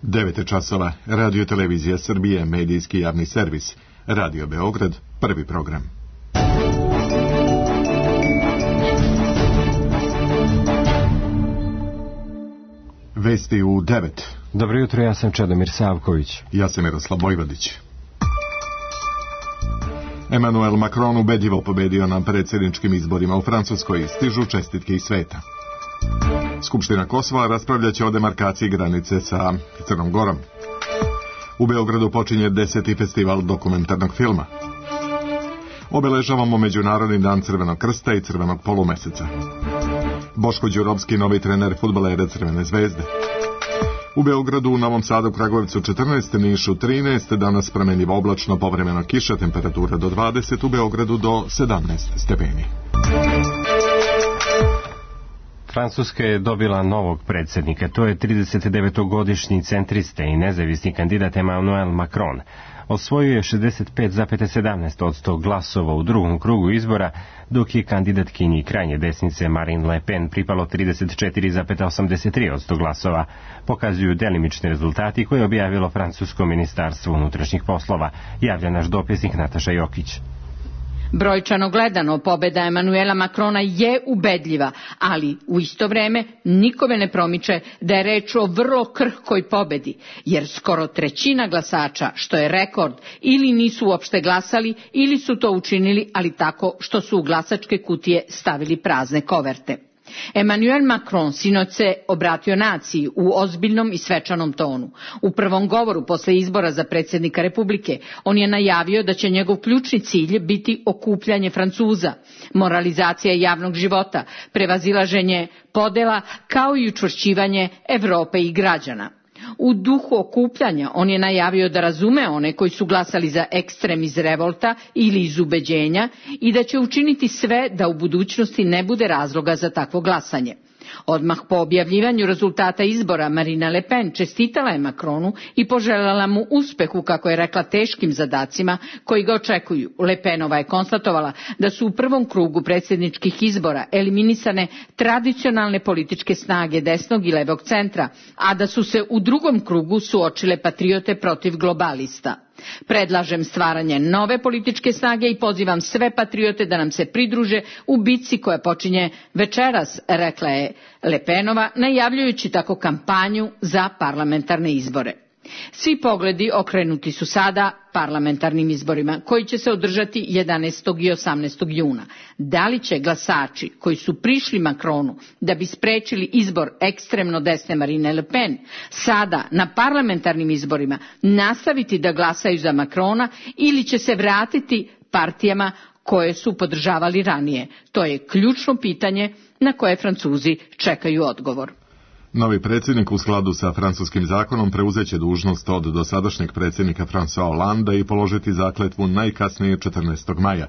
9 časova, Radio Televizija Srbije, medijski javni servis, Radio Beograd, prvi program. Vesti u 9. Dobro jutro, ja sam Čedomir Savković. Ja sam Miroslav Vojvodić. Emmanuel Macron ubedljivo pobedio na predsjedničkim izborima u Francuskoj, stižu čestitke iz sveta. Skupština Kosova raspravljaće o demarkaciji granice sa Crnom Gorom. U Beogradu počinje 10. festival dokumentarnog filma. Obeležavamo Međunarodni dan Crvenog krsta i Crvenog polumeseca. Boško Đurovski, novi trener fudbalera Crvene zvezde. U Beogradu, u Novom Sadu, Kragujevcu 14, Nišu 13, danas promenljivo oblačno, povremeno kiša, temperatura do 20, u Beogradu do 17 stepeni. Francuska je dobila novog predsjednika, to je 39-godišnji centriste i nezavisni kandidat Emmanuel Macron. Osvojio je 65,17% glasova u drugom krugu izbora, dok je kandidatkinji krajnje desnice Marine Le Pen pripalo 34,83% glasova, pokazuju delimični rezultati koje je objavilo Francusko ministarstvo unutrašnjih poslova, javlja naš dopisnik Nataša Jokić. Brojčano gledano, pobeda Emmanuela Macrona je ubedljiva, ali u isto vreme nikome ne promiče da je reč o vrlo krhkoj pobedi, jer skoro trećina glasača, što je rekord, ili nisu uopšte glasali, ili su to učinili, ali tako što su u glasačke kutije stavili prazne koverte. Emmanuel Macron sinoć se obratio naciji u ozbiljnom i svečanom tonu. U prvom govoru posle izbora za predsjednika Republike on je najavio da će njegov ključni cilj biti okupljanje Francuza, moralizacija javnog života, prevazilaženje podela kao i učvršćivanje Evrope i građana. U duhu okupljanja on je najavio da razume one koji su glasali za ekstrem iz revolta ili iz ubeđenja i da će učiniti sve da u budućnosti ne bude razloga za takvo glasanje. Odmah po objavljivanju rezultata izbora Marine Le Pen čestitala je Macronu i poželjela mu uspeh u, kako je rekla, teškim zadacima koji ga očekuju. Le Penova je konstatovala da su u prvom krugu predsjedničkih izbora eliminisane tradicionalne političke snage desnog i levog centra, a da su se u drugom krugu suočile patriote protiv globalista. Predlažem stvaranje nove političke snage i pozivam sve patriote da nam se pridruže u bitci koja počinje večeras, rekla je Le Penova, najavljujući tako kampanju za parlamentarne izbore. Svi pogledi okrenuti su sada parlamentarnim izborima, koji će se održati 11. i 18. juna. Da li će glasači koji su prišli Macronu da bi sprečili izbor ekstremno desne Marine Le Pen, sada na parlamentarnim izborima nastaviti da glasaju za Macrona ili će se vratiti partijama koje su podržavali ranije? To je ključno pitanje na koje Francuzi čekaju odgovor. Novi predsjednik u skladu sa francuskim zakonom preuzeće dužnost od dosadašnjeg predsjednika François Hollanda i položiti zakletvu najkasnije 14. maja.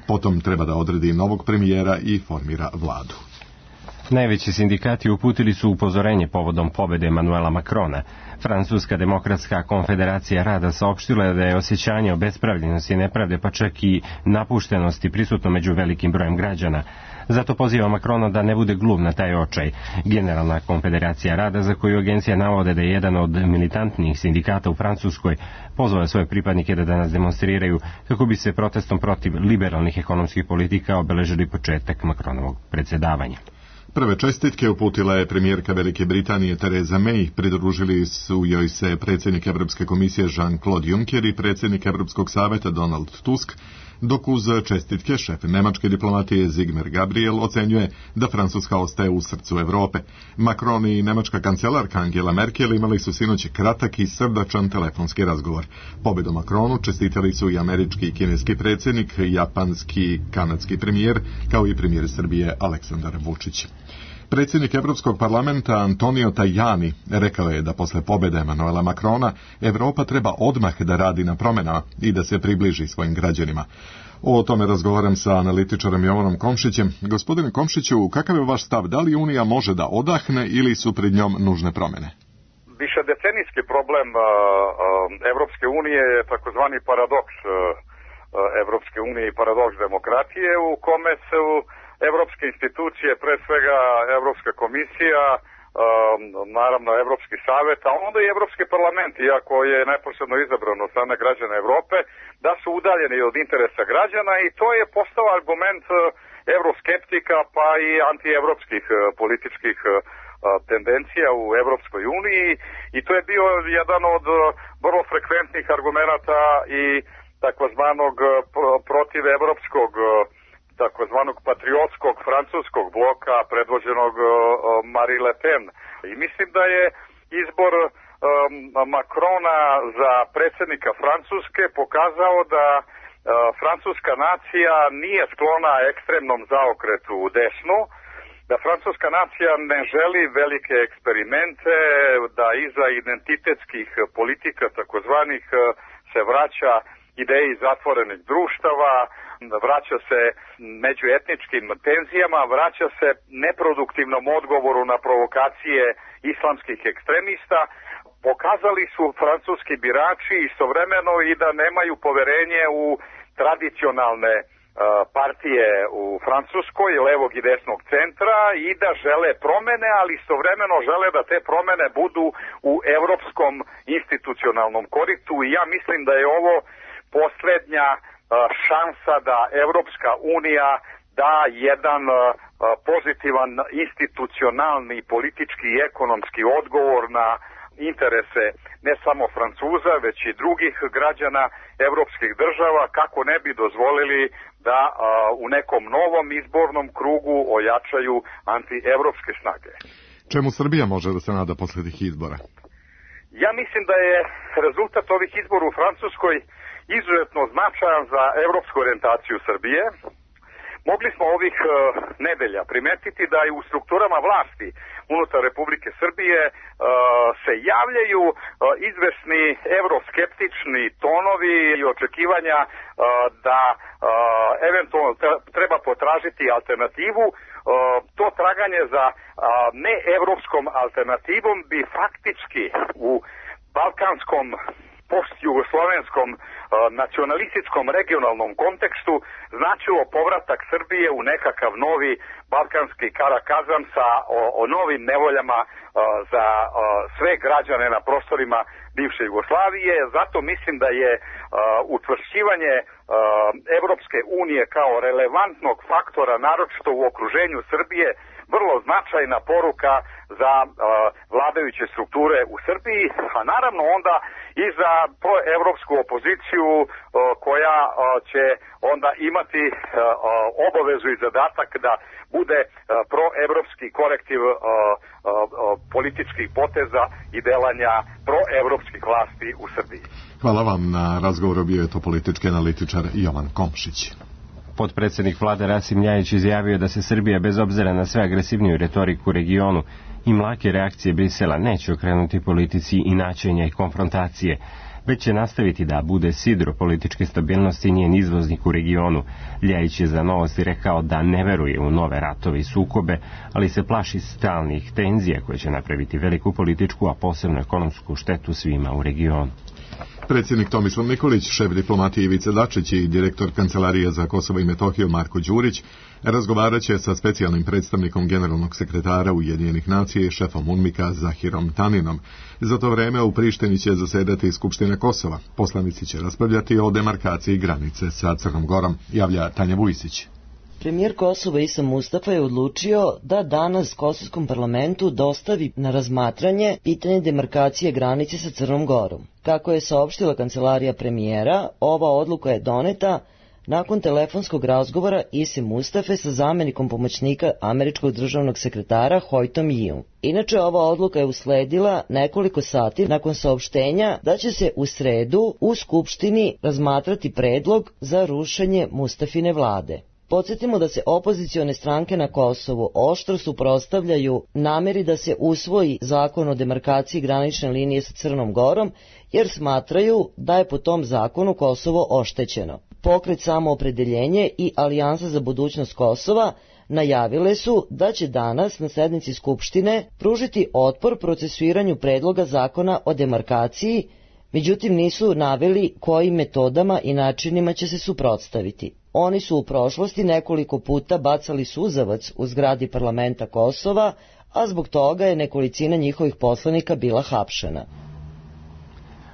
Potom treba da odredi novog premijera i formira vladu. Najveći sindikati uputili su upozorenje povodom pobede Emmanuela Macrona. Francuska demokratska konfederacija rada saopštila je da je osjećanje obespravljenosti, nepravde pa čak i napuštenosti prisutno među velikim brojem građana. Zato poziva Macrona da ne bude gluv na taj očaj. Generalna konfederacija rada, za koju agencija navode da je jedan od militantnijih sindikata u Francuskoj, pozvao svoje pripadnike da danas demonstriraju kako bi se protestom protiv liberalnih ekonomskih politika obeležili početak Macronovog predsjedavanja. Prve čestitke uputila je premijerka Velike Britanije Theresa May, pridružili su joj se predsjednik Europske komisije Jean-Claude Juncker i predsjednik Europskog saveta Donald Tusk, dok uz čestitke šef nemačke diplomatije Sigmar Gabriel ocenjuje da Francuska ostaje u srcu Europe. Macron i nemačka kancelarka Angela Merkel imali su sinoć kratak i srdačan telefonski razgovor. Pobedu Macronu čestitali su i američki i kineski predsjednik, japanski i kanadski premijer, kao i premijer Srbije Aleksandar Vučić. Predsjednik Europskog parlamenta Antonio Tajani rekao je da posle pobjede Emmanuela Macrona Europa treba odmah da radi na promjenama i da se približi svojim građanima. O tome razgovaram sa analitičarom Jovanom Komšićem. Gospodine Komšiću, kakav je vaš stav? Da li Unija može da odahne ili su pred njom nužne promjene? Višedecenijski problem Evropske unije je takozvani paradoks Evropske unije i paradoks demokratije, u kome su evropske institucije, pre svega Evropska komisija, naravno Evropski savet, a onda i Evropski parlament, iako je neposredno izabrano od strane građana Evrope, da su udaljeni od interesa građana i to je postao argument evroskeptika pa i antievropskih političkih tendencija u Evropskoj uniji i to je bio jedan od vrlo frekventnih argumenata i takozvanog protivevropskog takozvanog patriotskog francuskog bloka predvođenog Marie Le Pen. I mislim da je izbor Macrona za predsjednika Francuske pokazao da francuska nacija nije sklona ekstremnom zaokretu u desnu, da francuska nacija ne želi velike eksperimente, da iza identitetskih politika takozvanih se vraća ideji zatvorenih društava, vraća se međuetničkim tenzijama, vraća se neproduktivnom odgovoru na provokacije islamskih ekstremista. Pokazali su francuski birači istovremeno i da nemaju poverenje u tradicionalne partije u Francuskoj, levog i desnog centra i da žele promene, ali istovremeno žele da te promene budu u evropskom institucionalnom koritu i ja mislim da je ovo posljednja šansa da Evropska unija da jedan pozitivan institucionalni, politički i ekonomski odgovor na interese ne samo Francuza, već i drugih građana evropskih država, kako ne bi dozvolili da u nekom novom izbornom krugu ojačaju antievropske snage. Čemu Srbija može da se nada posle tih izbora? Ja mislim da je rezultat ovih izbora u Francuskoj izuzetno značajan za evropsku orijentaciju Srbije. Mogli smo ovih nedelja primetiti da i u strukturama vlasti unutar Republike Srbije se javljaju izvesni evroskeptični tonovi i očekivanja da eventualno treba potražiti alternativu. To traganje za neevropskom alternativom bi faktički u balkanskom post-jugoslovenskom nacionalističkom regionalnom kontekstu značilo povratak Srbije u nekakav novi balkanski karakazam sa o novim nevoljama za sve građane na prostorima bivše Jugoslavije. Zato mislim da je učvršćivanje Evropske unije kao relevantnog faktora, naročito u okruženju Srbije, vrlo značajna poruka za vladajuće strukture u Srbiji, a naravno onda i za proevropsku opoziciju koja će onda imati obavezu i zadatak da bude proevropski korektiv političkih poteza i delanja proevropskih vlasti u Srbiji. Hvala vam na razgovoru, bio je to politički analitičar Jovan Komšić. Potpredsjednik vlade Rasim Ljajić izjavio da se Srbija bez obzira na sve agresivniju retoriku u regionu i mlake reakcije Brisela neće okrenuti politici inačenja i konfrontacije, već će nastaviti da bude sidro političke stabilnosti i njen izvoznik u regionu. Ljajić je za Novosti rekao da ne veruje u nove ratove i sukobe, ali se plaši stalnih tenzija koje će napraviti veliku političku, a posebno ekonomsku štetu svima u regionu. Predsjednik Tomislav Nikolić, šef diplomatije Ivica Dačić i direktor Kancelarije za Kosovo i Metohiju Marko Đurić razgovarat će sa specijalnim predstavnikom generalnog sekretara Ujedinjenih nacija i šefom UNMIK-a Zahirom Taninom. Za to vreme u Prištini će zasedati Skupština Kosova. Poslanici će raspravljati o demarkaciji granice sa Crnom Gorom, javlja Tanja Vujsić. Premijer Kosova Isa Mustafa je odlučio da danas Kosovskom parlamentu dostavi na razmatranje pitanje demarkacije granice sa Crnom Gorom. Kako je saopštila kancelarija premijera, ova odluka je doneta nakon telefonskog razgovora Ise Mustafe sa zamenikom pomoćnika američkog državnog sekretara Hoytom Yiom. Inače, ova odluka je usledila nekoliko sati nakon saopštenja da će se u sredu u Skupštini razmatrati predlog za rušenje Mustafine vlade. Podsjetimo da se opozicione stranke na Kosovu oštro suprotstavljaju nameri da se usvoji zakon o demarkaciji granične linije sa Crnom Gorom, jer smatraju da je po tom zakonu Kosovo oštećeno. Pokret Samoopredeljenje i Alijansa za budućnost Kosova najavile su da će danas na sednici Skupštine pružiti otpor procesuiranju predloga zakona o demarkaciji, međutim nisu naveli kojim metodama i načinima će se suprotstaviti. Oni su u prošlosti nekoliko puta bacali suzavac u zgradi parlamenta Kosova, a zbog toga je nekolicina njihovih poslanika bila hapšena.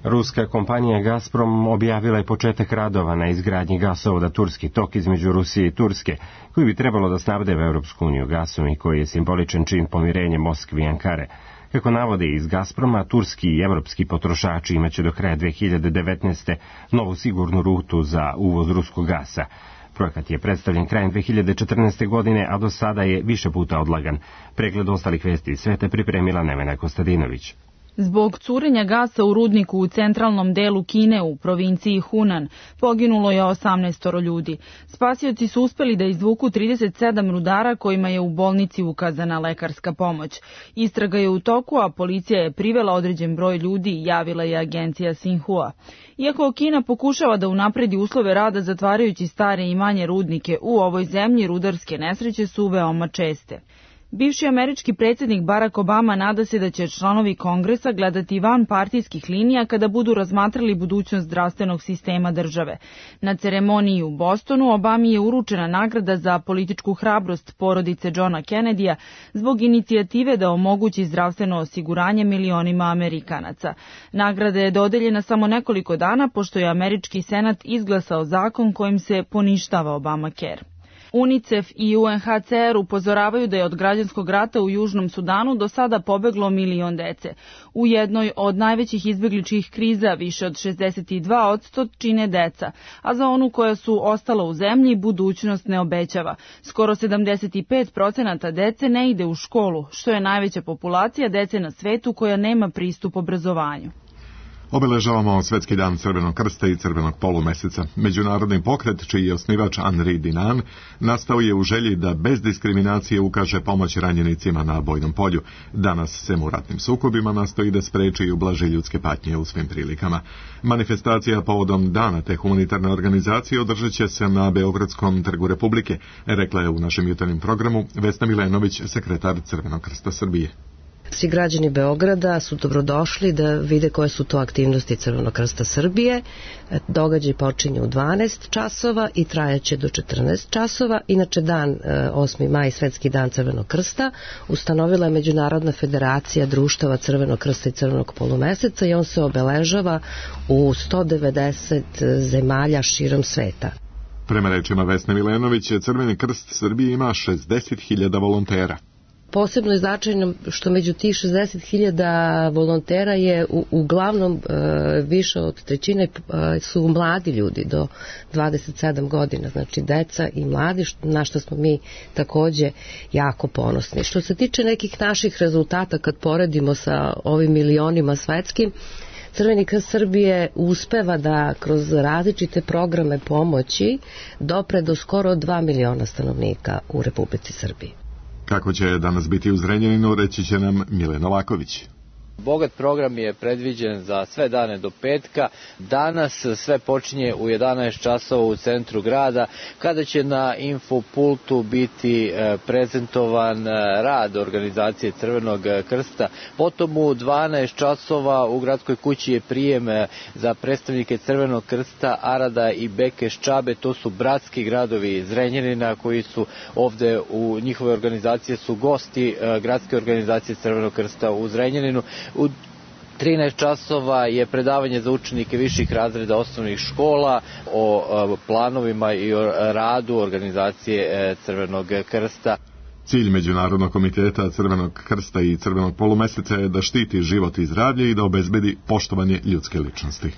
Ruska kompanija Gazprom objavila je početak radova na izgradnji gasovoda Turski tok između Rusije i Turske, koji bi trebalo da snabdeva Evropsku uniju gasom i koji je simboličan čin pomirenja Moskve i Ankare. Kako navode iz Gazproma, turski i evropski potrošači imaće do kraja 2019. novu sigurnu rutu za uvoz ruskog gasa. Projekat je predstavljen krajem 2014. godine, a do sada je više puta odlagan. Pregled ostalih vesti iz sveta pripremila Nevena Kostadinović. Zbog curenja gasa u rudniku u centralnom delu Kine u provinciji Hunan poginulo je 18 ljudi. Spasioci su uspeli da izvuku 37 rudara kojima je u bolnici ukazana lekarska pomoć. Istraga je u toku, a policija je privela određen broj ljudi, javila je agencija Xinhua. Iako Kina pokušava da unapredi uslove rada zatvarajući stare i manje rudnike, u ovoj zemlji rudarske nesreće su veoma česte. Bivši američki predsjednik Barack Obama nada se da će članovi Kongresa gledati van partijskih linija kada budu razmatrali budućnost zdravstvenog sistema države. Na ceremoniji u Bostonu Obami je uručena nagrada za političku hrabrost porodice Johna Kennedyja zbog inicijative da omogući zdravstveno osiguranje milionima Amerikanaca. Nagrada je dodeljena samo nekoliko dana pošto je američki senat izglasao zakon kojim se poništava Obamacare. UNICEF i UNHCR upozoravaju da je od građanskog rata u Južnom Sudanu do sada pobeglo 1 milion dece. U jednoj od najvećih izbegličkih kriza više od 62% čine deca, a za onu koja su ostala u zemlji budućnost ne obećava. Skoro 75% dece ne ide u školu, što je najveća populacija dece na svetu koja nema pristup obrazovanju. Obeležavamo Svetski dan Crvenog krsta i Crvenog polumeseca. Međunarodni pokret, čiji je osnivač Henri Dinan, nastao je u želji da bez diskriminacije ukaže pomoć ranjenicima na bojnom polju. Danas se u ratnim sukobima nastoji da spreči i ublaži ljudske patnje u svim prilikama. Manifestacija povodom dana te humanitarne organizacije održat će se na Beogradskom trgu Republike, rekla je u našem jutarnjem programu Vesna Milenović, sekretar Crvenog krsta Srbije. Svi građani Beograda su dobrodošli da vide koje su to aktivnosti Crvenog krsta Srbije. Događaj počinje u 12 časova i trajaće do 14 časova. Inače, dan 8. maj, Svetski dan Crvenog krsta, ustanovila je Međunarodna federacija društava Crvenog krsta i Crvenog polumeseca i on se obeležava u 190 zemalja širom sveta. Prema rečima Vesne Milenović, Crveni krst Srbije ima 60.000 volontera. Posebno je značajno što među tih 60.000 volontera je uglavnom više od trećine su mladi ljudi do 27 godina, znači deca i mladi, na što smo mi takođe jako ponosni. Što se tiče nekih naših rezultata kad poredimo sa ovim milionima svetskim, Crveni krst Srbije uspeva da kroz različite programe pomoći dopre do skoro 2 miliona stanovnika u Republici Srbiji. Kako će danas biti u Zrenjaninu, reći će nam Mile Novaković. Bogat program je predviđen za sve dane do petka. Danas sve počinje u 11 časova u centru grada, kada će na infopultu biti prezentovan rad organizacije Crvenog krsta. Potom u 12 časova u gradskoj kući je prijem za predstavnike Crvenog krsta Arada i Beke Ščabe. To su bratski gradovi Zrenjanina koji su ovde u njihove organizacije su gosti gradske organizacije Crvenog krsta u Zrenjaninu. U 13 časova je predavanje za učenike viših razreda osnovnih škola o planovima i o radu organizacije Crvenog krsta. Cilj Međunarodnog komiteta Crvenog krsta i Crvenog polumeseca je da štiti život i zdravlje i da obezbedi poštovanje ljudske ličnosti.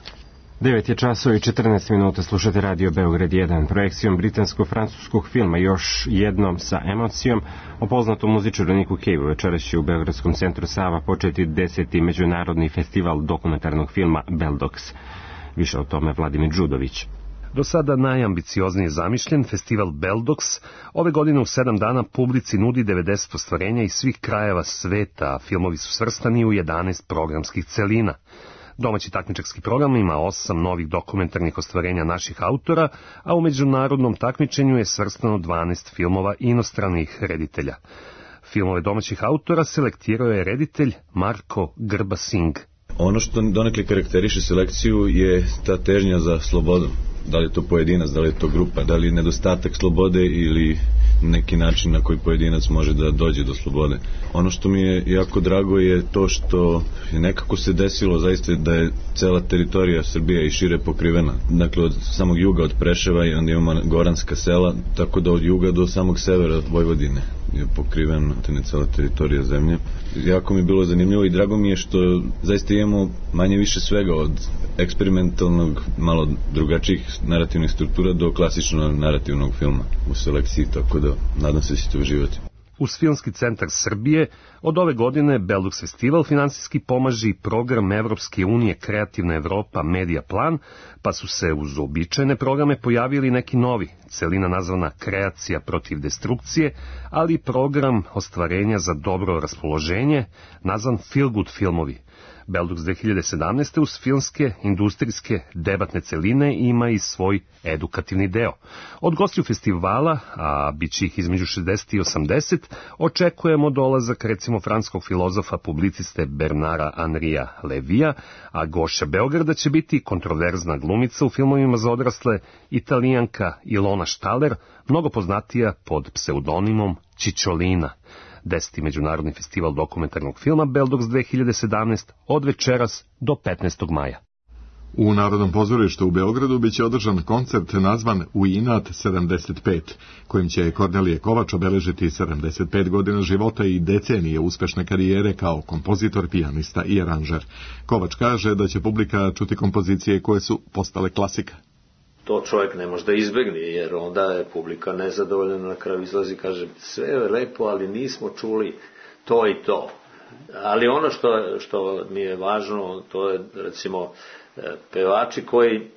9 je časova i 14 minuta, slušate Radio Beograd 1, projekcijom britansko-francuskog filma Još jednom sa emocijom. O poznatom muzičaru Niku Cave večeras će u Beogradskom centru Sava početi 10. međunarodni festival dokumentarnog filma Beldox. Više o tome Vladimir Đudović. Do sada najambicioznije zamišljen festival Beldox ove godine u 7 dana publici nudi 90 ostvarenja iz svih krajeva sveta, a filmovi su svrstani u 11 programskih celina. Domaći takmičarski program ima 8 novih dokumentarnih ostvarenja naših autora, a u međunarodnom takmičenju je svrstano 12 filmova inostranih reditelja. Filmove domaćih autora selektirao je reditelj Marko Grba-Singh. Ono što donekle karakteriše selekciju je ta težnja za slobodom. Da li je to pojedinac, da li je to grupa, da li je nedostatak slobode ili neki način na koji pojedinac može da dođe do slobode. Ono što mi je jako drago je to što je nekako se desilo zaista da je cela teritorija Srbije i šire pokrivena. Dakle, od samog juga, od Preševa, i onda imamo goranska sela, tako da od juga do samog severa Vojvodine je pokriven cela teritorija zemlje. Jako mi je bilo zanimljivo i drago mi je što zaista imamo manje više svega, od eksperimentalnog, malo drugačijih narativnih struktura do klasičnog narativnog filma u selekciji, tako da nadam se da ćete uživati. Uz Filmski centar Srbije od ove godine Beldux Festival finansijski pomaže i program Evropske unije Kreativna Evropa Media Plan, pa su se uz uobičajene programe pojavili neki novi, celina nazvana Kreacija protiv destrukcije, ali i program ostvarenja za dobro raspoloženje, nazvan Feel Good filmovi. Beldux 2017. uz filmske, industrijske, debatne celine ima i svoj edukativni deo. Od gostiju festivala, a bit će ih između 60 i 80, očekujemo dolazak recimo francuskog filozofa, publiciste Bernara Henrija Levija, a gošća Beograda će biti kontroverzna glumica u filmovima za odrasle, Italijanka Ilona Štaler, mnogo poznatija pod pseudonimom Čičolina. 10. Međunarodni festival dokumentarnog filma Beldux 2017 od večeras do 15. maja. U Narodnom pozorištu u Beogradu biće održan koncert nazvan U inat 75, kojim će Kornelije Kovač obeležiti 75 godina života i decenije uspešne karijere kao kompozitor, pijanista i aranžer. Kovač kaže da će publika čuti kompozicije koje su postale klasika. To čovjek ne može da izbegne, jer onda je publika nezadovoljna, na kraju izlazi i kaže sve je lepo, ali nismo čuli to i to. Ali ono što mi je važno, to je recimo pevači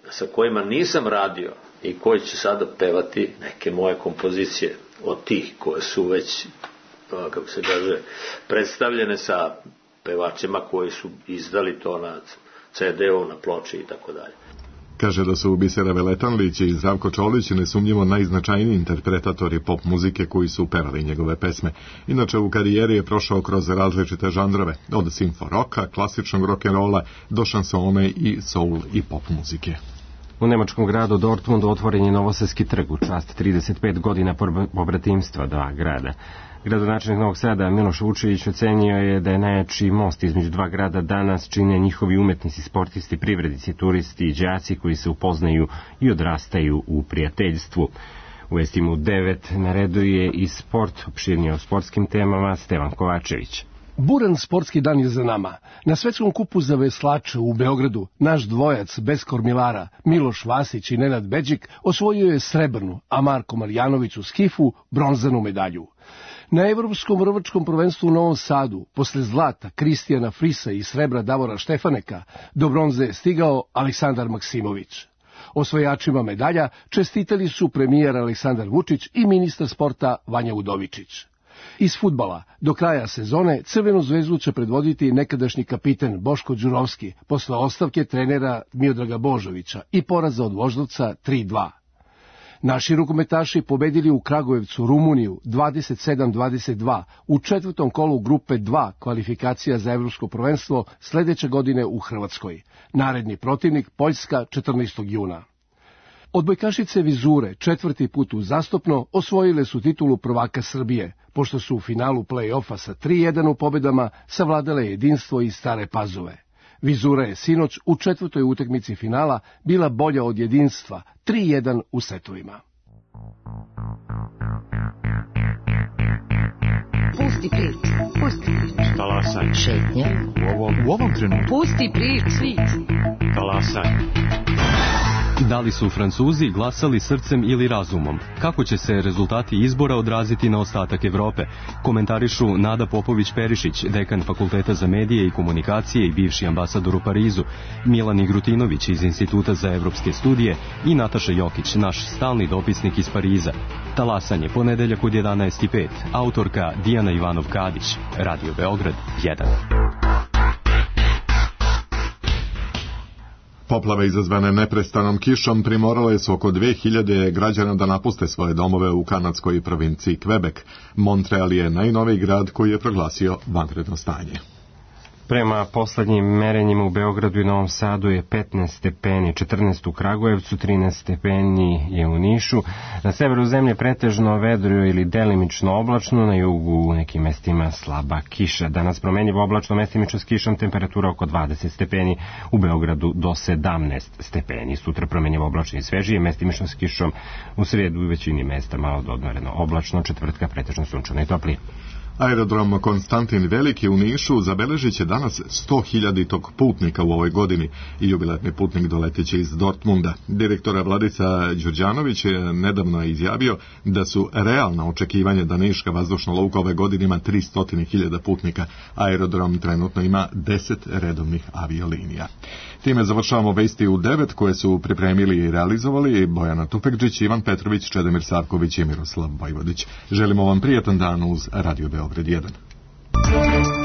sa kojima nisam radio i koji će sada pevati neke moje kompozicije od tih koje su već, kako se kaže, predstavljene sa pevačima koji su izdali to na CD-u, na ploči i tako dalje. Kaže da su Bisera Veletanlić i Zdravko Čolić nesumnjivo najznačajniji interpretatori pop muzike koji su pevali njegove pesme. Inače, u karijeri je prošao kroz različite žanrove, od simfo roka, klasičnog rock'n'rolla do šansone i soul i pop muzike. U nemačkom gradu Dortmundu otvoren je Novosadski trg u čast 35 godina pobratimstva dva grada. Gradonačelnik Novog Sada Miloš Vučević ocenio je da je najjači most između dva grada danas čine njihovi umetnici, sportisti, privrednici, turisti i đaci koji se upoznaju i odrastaju u prijateljstvu. U vestima u 9 na redu je i sport, opširnije o sportskim temama Stevan Kovačević. Buran sportski dan je za nama. Na svetskom kupu za veslače u Beogradu naš dvojac bez kormilara Miloš Vasić i Nenad Beđik osvojio je srebrnu, a Marko Marjanović u skifu bronzanu medalju. Na evropskom rvačkom prvenstvu u Novom Sadu, posle zlata Kristijana Frisa i srebra Davora Štefaneka, do bronze je stigao Aleksandar Maksimović. Osvajačima medalja čestitali su premijer Aleksandar Vučić i ministar sporta Vanja Udovičić. Iz fudbala, do kraja sezone Crvenu zvezdu će predvoditi nekadašnji kapiten Boško Đurovski posle ostavke trenera Miodraga Božovića i poraza od Voždovca 3-2. Naši rukometaši pobedili u Kragujevcu Rumuniju 27-22 u četvrtom kolu grupe 2 kvalifikacija za evropsko prvenstvo sledeće godine u Hrvatskoj. Naredni protivnik Poljska 14. juna. Odbojkašice Vizure četvrti put uzastopno osvojile su titulu prvaka Srbije, pošto su u finalu play-offa sa 3-1 u pobedama savladale jedinstvo iz Stare Pazove. Vizura je sinoć u četvrtoj utakmici finala bila bolja od jedinstva 3-1 u setovima. Pusti priču, pusti priču. Talasaj. Šetnje. U ovom trenutku. Pusti priču. Talasaj. Da li su Francuzi glasali srcem ili razumom? Kako će se rezultati izbora odraziti na ostatak Evrope? Komentarišu Nada Popović-Perišić, dekan Fakulteta za medije i komunikacije i bivši ambasador u Parizu, Milan Igrutinović iz Instituta za evropske studije i Nataša Jokić, naš stalni dopisnik iz Pariza. Talasanje, ponedeljak od 11:05. Autorka Dijana Ivanov-Kadić. Radio Beograd 1. Poplave izazvane neprestanom kišom primorale su oko 2000 građana da napuste svoje domove u kanadskoj provinciji Quebec. Montreal je najnoviji grad koji je proglasio vanredno stanje. Prema poslednjim merenjima u Beogradu i Novom Sadu je 15 stepeni, 14 u Kragujevcu, 13 stepeni je u Nišu. Na severu zemlje pretežno vedro ili delimično oblačno, na jugu u nekim mestima slaba kiša. Danas promenjivo oblačno, mestimično s kišom, temperatura oko 20 stepeni, u Beogradu do 17 stepeni. Sutra promenjivo oblačno i svežije, mestimično s kišom, u sredu u većini mesta malo odmoreno oblačno, četvrtka pretežno sunčano i toplije. Aerodrom Konstantin Veliki u Nišu zabeležit će danas 100.000 putnika u ovoj godini i jubilarni putnik doleteće iz Dortmunda. Direktor Vladica Đurđanović je nedavno izjavio da su realna očekivanja da Niška vazdušna luka ove godine ima 300.000 putnika. Aerodrom trenutno ima 10 redovnih aviolinija. Time završavamo vesti u 9 koje su pripremili i realizovali Bojana Tupekđić, Ivan Petrović, Čedomir Savković i Miroslav Vojvodić. Želimo vam prijatan dan uz Radio Beograd 1.